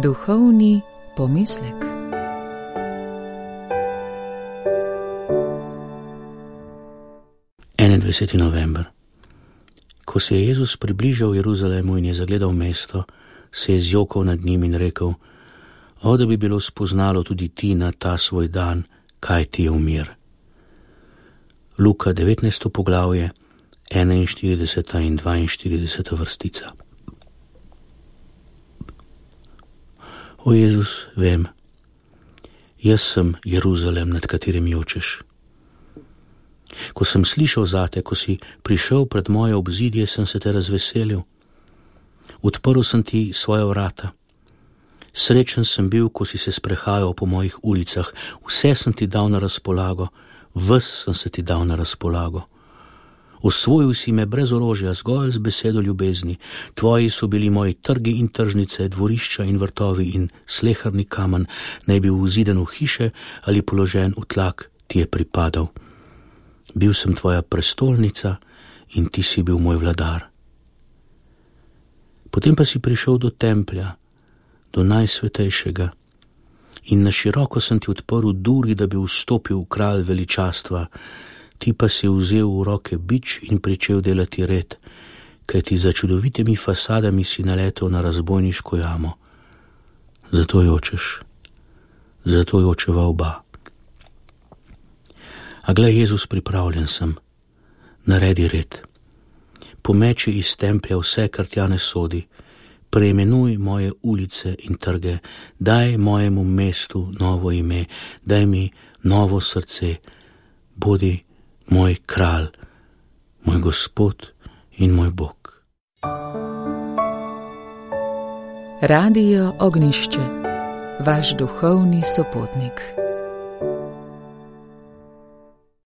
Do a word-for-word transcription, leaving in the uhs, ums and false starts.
Duhovni pomislek. enaindvajseti november. Ko se je Jezus približal Jeruzalemu in je zagledal mesto, se je zjokal nad njim in rekel: O, da bi bilo spoznalo tudi ti na ta svoj dan, kaj ti je v mir. Luka devetnajsto poglavje, enainštirideseta in dvainštirideseta vrstica. O Jezus, vem, jaz sem Jeruzalem, nad katerim jočeš. Ko sem slišal zate, ko si prišel pred moje obzidje, sem se te razveselil. Odprl sem ti svoja vrata. Srečen sem bil, ko si se sprehajal po mojih ulicah. Vse sem ti dal na razpolago, ves sem se ti dal na razpolago. Osvojil si me brez orožja, zgolj z besedo ljubezni. Tvoji so bili moji trgi in tržnice, dvorišča in vrtovi in sleherni kamen, naj bi vziden v hiše ali položen v tlak, ti je pripadal. Bil sem tvoja prestolnica in ti si bil moj vladar. Potem pa si prišel do templja, do najsvetejšega, in na široko sem ti odprl duri, da bi vstopil v kralj veličastva. Ti pa si vzel v roke bič in pričel delati red, kajti za čudovitimi fasadami si naletel na razbojniško jamo. Zato jočeš, zato jočeva oba. A glej, Jezus, pripravljen sem, naredi red. Pomeči iz templja vse, kar tja ne sodi, preimenuj moje ulice in trge, daj mojemu mestu novo ime, daj mi novo srce, bodi moj kralj, moj Gospod in moj Bog. Radio Ognjišče, vaš duhovni sopotnik.